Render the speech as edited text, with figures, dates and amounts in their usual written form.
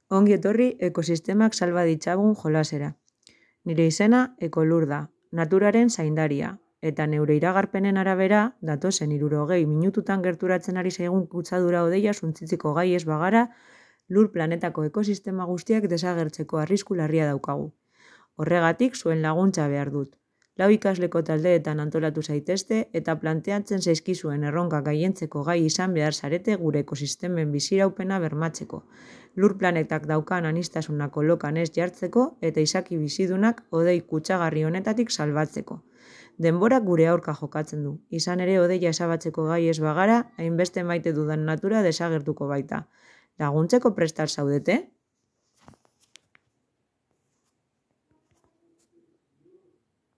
Ongi etorri ekosistemak salba ditzagun jolasera. Nire izena Ekolur da, naturaren zaindaria, eta neure iragarpenen arabera, datozen 60 minututan gerturatzen ari zaigun kutsadura hodeia suntsitzeko gai ez bagara, lur planetako ekosistema guztiak desagertzeko arrisku larria daukagu. Horregatik zuen laguntza behar dut. 4 ikasleko taldeetan antolatu zaitezte eta planteatzen zaizkizuen erronkak gailentzeko gai izan behar zarete gure ekosistemen biziraupena bermatzeko, lur planetak daukan aniztasuna kolokan ez jartzeko eta izaki bizidunak hodei kutsagarri honetatik salbatzeko. Denborak gure aurka jokatzen du, izan ere hodeia ezabatzeko gai ez bagara, hainbeste maite dudan natura desagertuko baita. Laguntzeko prestar zaudete?